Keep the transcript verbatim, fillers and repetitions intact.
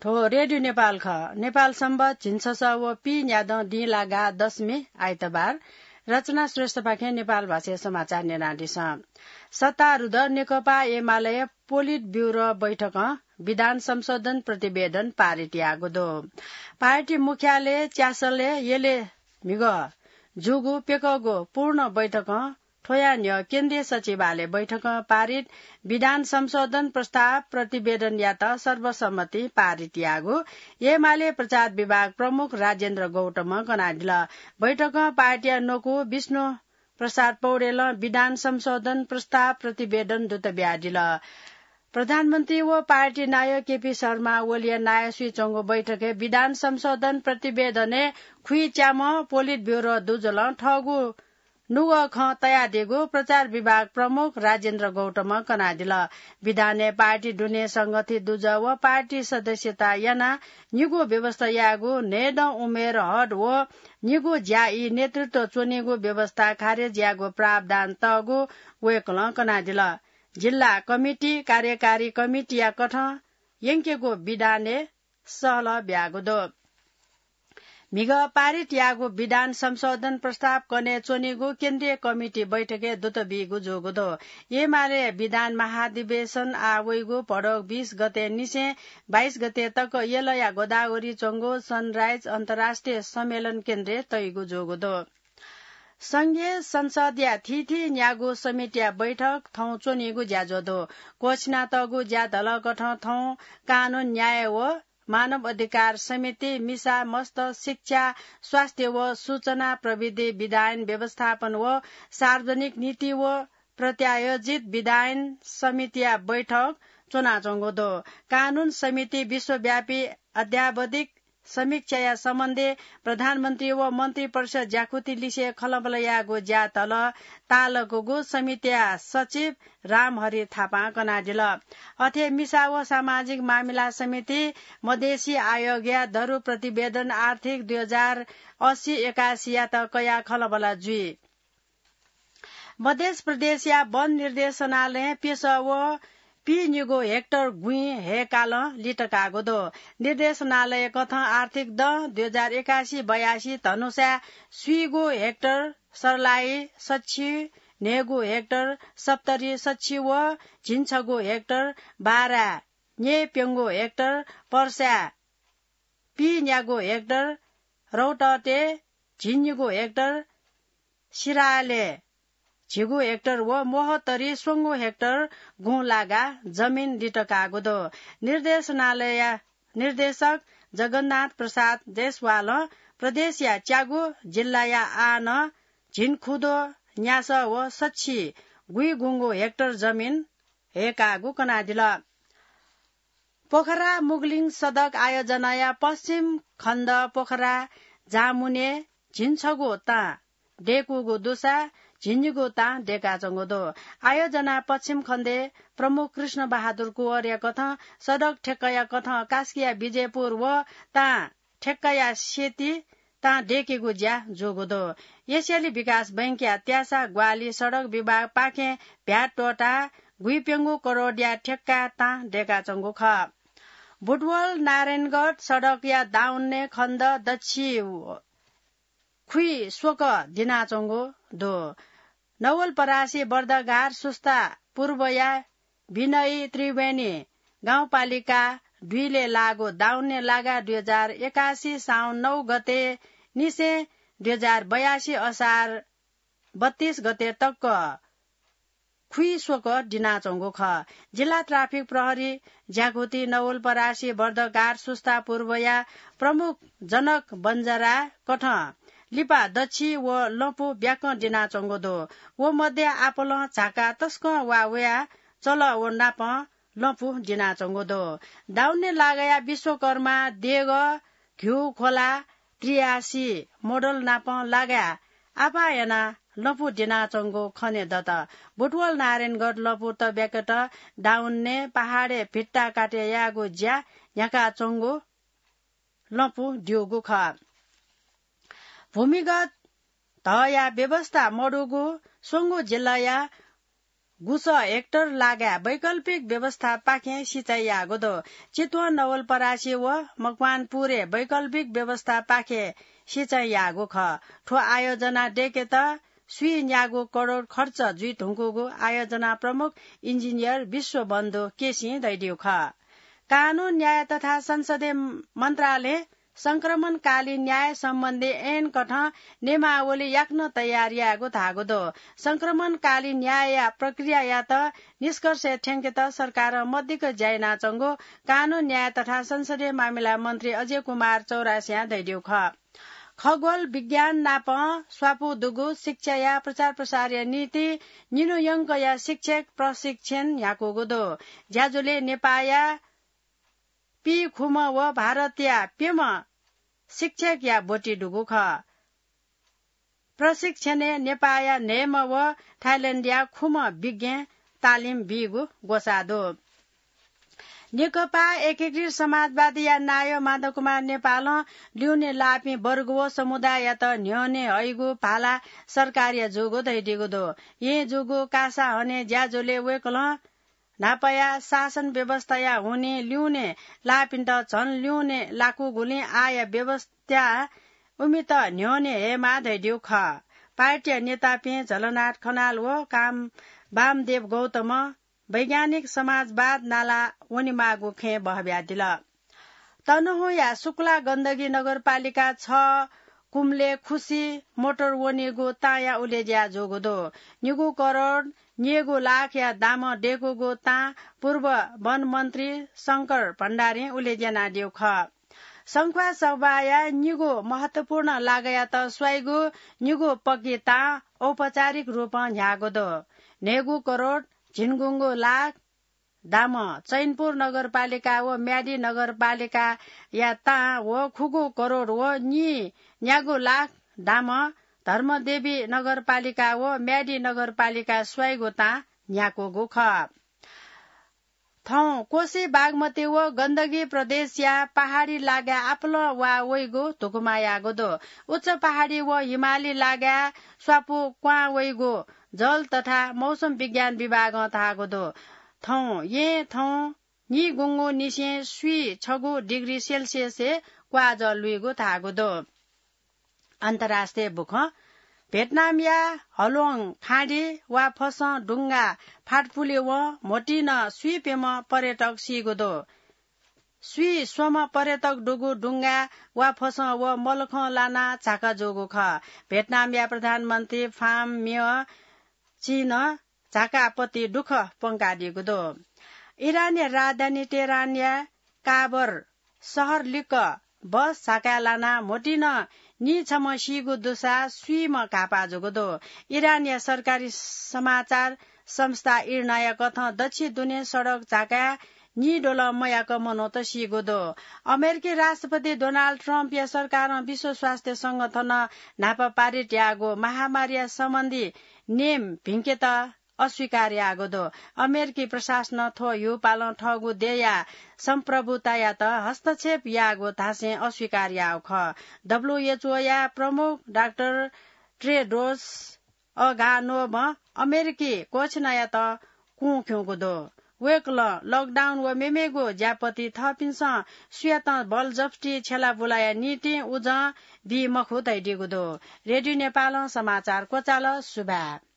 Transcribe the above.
थ्व रेडियो नेपाल खः। नेपाल संवत झिंछसः व पीन्यादँ दिं लागा दशमी आइतबार। रचना श्रेष्ठपाखें नेपाल भाषाय् समाचार न्यनादिसँ। सत्तारूढ नेकपा एमाले पोलिट ब्युरो बैठकं विधान संशोधन प्रतिवेदन पारित याःगु दु। पार्टी मुख्यालय च्यासलय् यलय् म्हिगः जूगु प्यकःगु पूर्ण बैठकं थ्वया न्ह्यः केन्द्रीय सचिवालय बैठकं पारित विधान संशोधन प्रस्ताव प्रतिवेदनयात सर्वसम्मति पारित याःगु एमाले प्रचार विभाग प्रमुख राजेन्द्र गौतमं कनादिल। बैठकं पार्टीया न्वकू विष्णु प्रसाद पौडेलं विधान संशोधन प्रस्ताव प्रतिवेदन दुत बियादिल। प्रधानमन्त्री व पार्टी नायः केपी शर्मा ओलीया नायः स्वयाच्वंगु बैठकय् विधान संशोधन प्रतिवेदनय् खुइच्याम्ह पोलिट ब्युरो दुजलं थःगु नुगः खँ तयादीगु प्रचार विभाग प्रमुख राजेन्द्र गौतमं कनादिल। विधानय् पार्टी दुने संगठित दुजः व पार्टी सदस्यता यानाः निगू व्यवस्था यायेगु, न्हय्दँ उमेर हद व निगू ज्या ई नेतृत्व च्वनीगु व्यवस्था खारेज यायेगु प्रावधान तःगु वय्कलं कनादिल। जिल्ला कमिटी, कार्यकारी कमिटीया कथं यंकेगु विधानय् सहलह ब्याःगु दु। म्हिगः पारित याःगु विधान संशोधन प्रस्ताव कने च्वनीगु केन्द्रीय कमिटी बैठकय् दुत बीगु जूगु दु। एमाले विधान महाधिवेशन आः वइगु भदौ बीस गते निसें बाइस गते तक यलया गोदावरी च्वंगु सनराइज अन्तर्राष्ट्रिय सम्मेलन केन्द्रय् तइगु जूगु दु। संघीय संसदया थीथी न्यागू समितिया बैठक थौं च्वनीगु ज्याझ्वः दु। क्वःछिनातःगु ज्या धलकथं थौं कानून, न्याय व मानव अधिकार समिति, मिसा, मस्त, शिक्षा, स्वास्थ्य व सूचना प्रविधि विधायन व्यवस्थापन व सार्वजनिक नीति व प्रत्यायोजित विधायन समितिया बैठक च्वनाच्वंगु दु। कानून समिति विश्वव्यापी अद्यावधिक समीक्षाया सम्बन्धय् प्रधानमन्त्री व मन्त्रिपरिषद ज्याकुथि लिसे खँल्हाबल्हा यायेगु ज्या धलः तालकूगु समितिया सचिव रामहरि थापां कनादिल। अथे मिसा व सामाजिक मामिला समिति मधेसी आयोगया दरु प्रतिवेदन आर्थिक दुई हजार अस्सी एकासीयात कयाः खँल्हाबल्हा जुइ। मधेस प्रदेशया वन निर्देशनालयं प्यसः व पीनिगू हेक्टर गुँइ हय्कालं लित काःगु दु। निर्देशनालय कथं आर्थिक दँ दुई हजार एकासी बयासी धनुषाय् स्वीगू हेक्टर सर्लाही सछि, न्हय्गू हेक्टर सप्तरी सछि व झिंछगू हेक्टर बारा, न्यय्प्यंगू हेक्टर पर्साय् पीन्यागू हेक्टर रौतटे, झिंनिगू हेक्टर सिराले, झिगू हेक्टर व मोहतरी स्वंगू हेक्टर गुँ लागा जमिन लित काःगु दु। निर्देशनालयया निर्देशक जगन्नाथ प्रसाद जयसवालं प्रदेशया च्यागू जिल्लाया आः नं झिंखुदँ न्यासः व सछि गुइगुंगू हेक्टर जमिन हय्काःगु कनादिल। पोखरा मुगलिङ सडक आयोजनाया पश्चिम खण्ड पोखरा जामुने झिंछगू तां दय्कूगु दुसा झिंनिगू तां दय्काच्वंगु दु। आयोजना पश्चिम खण्डे प्रमुख कृष्ण बहादुर कुँवरया कथं सडक ठेक्काया कथं कास्कीया विजयपुर व तां ठेक्काया सेती तां दय्केगु ज्या जूगु दु। एसियाली विकास बैंकया त्यासा ग्वाहालि सडक विभागपाखें भ्याट त्वःताः गुइप्यंगू करोडया ठेक्का तां दय्काच्वंगु खः। बुटवल नारायणगढ सडकया दाउन्ने खण्ड दच्छि खुइ स्वकः दिनाच्वंगु दु। नवलपरासी बर्दघाट सुस्ता पूर्वया विनयी त्रिवेणी गाउँपालिका दुईले लाःगु दाउन्ने लागा दुई हजार एकासी साउन नौ गते निसें दुई हजार बयासी असार बत्तीस गते तक खुइ स्वकः दिनाच्वंगु खः। जिल्ला ट्राफिक प्रहरी ज्याकुथि नवलपरासी बर्दघाट सुस्ता पूर्वया प्रमुख जनक बन्जारा कथं लिपा दच्छि व लँपु ब्याकं दिनाच्वंगु दु। व मध्ये आपलं झाका तसकं वा वया चल व नापं लँपु दिनाच्वंगु दु। दाउन्ने लागाया विश्वकर्मा देगः घ्यू खोला त्रियासी मोडल नापं लागाय् आपाः यानाः लँपु दिनाच्वंगु खने दत। बुटवल नारायणगढ लँपु तब्याकेत दाउन्ने पहाडय् भित्ता काटे यायेगु ज्या न्ह्याकाच्वंगु लँपु द्यूगु खः। भूमिगत धःया व्यवस्था मदुगु स्वंगू जिल्लाया गुसः हेक्टर लागाय् वैकल्पिक व्यवस्थापाखें सिँचाइ याःगु दु। चितवन नवलपरासी व मकवानपुरय् वैकल्पिक व्यवस्थापाखें सिँचाइ याःगु खः। थ्व आयोजना दय्केत स्वीन्यागू करोड खर्च जुइधुंकूगु आयोजना प्रमुख इन्जिनियर विश्वबन्धु केसीं धयादीगु खः। कानून, न्याय तथा संसदीय मन्त्रालयं संक्रमणकालीन न्याय सम्बन्धी ऐनकथं नियमावली याकनं तयार यायेगु धाःगु दु। संक्रमणकालीन न्यायया प्रक्रियायात निष्कर्षय् थ्यंकेत सरकारं मदिक्क ज्या यानाच्वंगु कानून, न्याय तथा संसदीय मामिला मन्त्री अजय कुमार चौरासियां धयादीगु खः। खगोल विज्ञान नाप स्वापू दुगु शिक्षाया प्रचार प्रसारया निंतिं निन्हु यंकया शिक्षक प्रशिक्षण न्ह्याकूगु दु। ज्याझ्वलय् नेपाःया पीखुम्ह व भारतया प्यम्ह शिक्षकया ब्वति दुगु खः। प्रशिक्षणय् नेपाःया न्हय्म्ह व थाइल्याण्डया खुम्ह विज्ञ तालिम बीगु ग्वसाः दु। नेकपा एकीकृत समाजवादीया नायः माधव कुमार नेपालं लिउने लाःपिं वर्ग व समुदाययात न्ह्यःने हइगु भाला सरकारया जूगु धयादीगु दु। येँ जूगु कासा हने ज्याझ्वलय् वय्कलं न्हापाया शासन व्यवस्थाया हुनिं लिउने लाःपिन्त झन लिउने लाकूगुलिं आःया व्यवस्थां उमित न्ह्यःने हयेमाः धयादीगु खः। पार्टीया नेतापिं झलनाथ खनाल व काम वामदेव गौतमं वैज्ञानिक समाजवाद नाला वनेमाःगु खँय् बहब्यादिल। तनहुँया सुक्ला गण्डकी नगरपालिका छ कुम्ले खुसी मोटर वनीगु ताँया उलेज्या जूगु दु। निगू करोड निगू लाखया दामं दय्कूगु ताँ पूर्व वन मन्त्री शंकर भण्डारीं उलेज्या यानादीगु खः। संख्वासभाया निगू महत्वपूर्ण लागायात स्वाइगु निगू पक्की ताँ औपचारिक रूपं न्ह्याःगु दु। न्हय्गू करोड झिंगुंगू लाख दामं चैनपुर नगरपालिका व म्यादी नगरपालिकाया ताँ व खुगू करोड व नीन्यागू लाख दामं धर्मदेवी नगरपालिका व म्यादी नगरपालिकां स्वाइगु ताँ न्ह्याकूगु खः। थौं कोशी, बागमती व गण्डकी प्रदेशया पहाडी लागाय् आपालं वा वइगु धुकुमा याःगु दु। उच्च पहाडी व हिमाली लागाय् स्वापू क्वहां वइगु जल तथा मौसम विज्ञान विभागं धाःगु दु। थौं येँ थौं निगुंगु निसें स्वीछगू डिग्री सेल्सियसय् क्वाःजः लुइगु धाःगु दु। अन्तर्राष्ट्रिय बुखँ। भियतनामया हलोङ खाँडी वा फसं डुंगा फातपुले वं म्होतिं नं स्वीप्यम्ह पर्यटक सीगु दु। स्वीस्वम्ह पर्यटक दुगु डुंगा वा फसं व मलखं लानाः झाका जूगु खः। भियतनामया प्रधानमन्त्री फाम म्यः चिनं झाका आपत्ति दुःख प्वंकादीगु दु। इरानया राजधानी तेहरानया काबर शहर लिक्क बस झाकाय् लानाः म्होतिं नं नीछम्ह सीगु दुसा स्वीम्ह घाःपाः जूगु दु। इरानया सरकारी समाचार संस्था इर्नाया कथं दच्छि दुने सडक झाकाय् नीद्वलं मयाक मनूत सीगु दु। अमेरिकी राष्ट्रपति डोनाल्ड ट्रम्पया सरकारं विश्व स्वास्थ्य संगठनं न्हापा पारित याःगु महामारीया सम्बन्धी नियम भिंकेत अस्वीकार याःगु दु। अमेरिकी प्रशासनं थ्व ह्यूपालं थःगु देय्या सम्प्रभुतायात हस्तक्षेप याःगु धासें अस्वीकार याःगु खः। डब्ल्यूएचओया प्रमुख डाक्टर टेड्रोस अधानोमं अमेरिकी घोषणायात कुं खिउँगु दु। वय्कलं लकडाउन व मेमेगु ज्यापति थःपिन्सं सुयातं बलजबस्ती छ्यलाबुलाया निंतिं उजं बी मखु धयादीगु दु। रेडियो नेपालं समाचार क्वचाल। सुभाय्।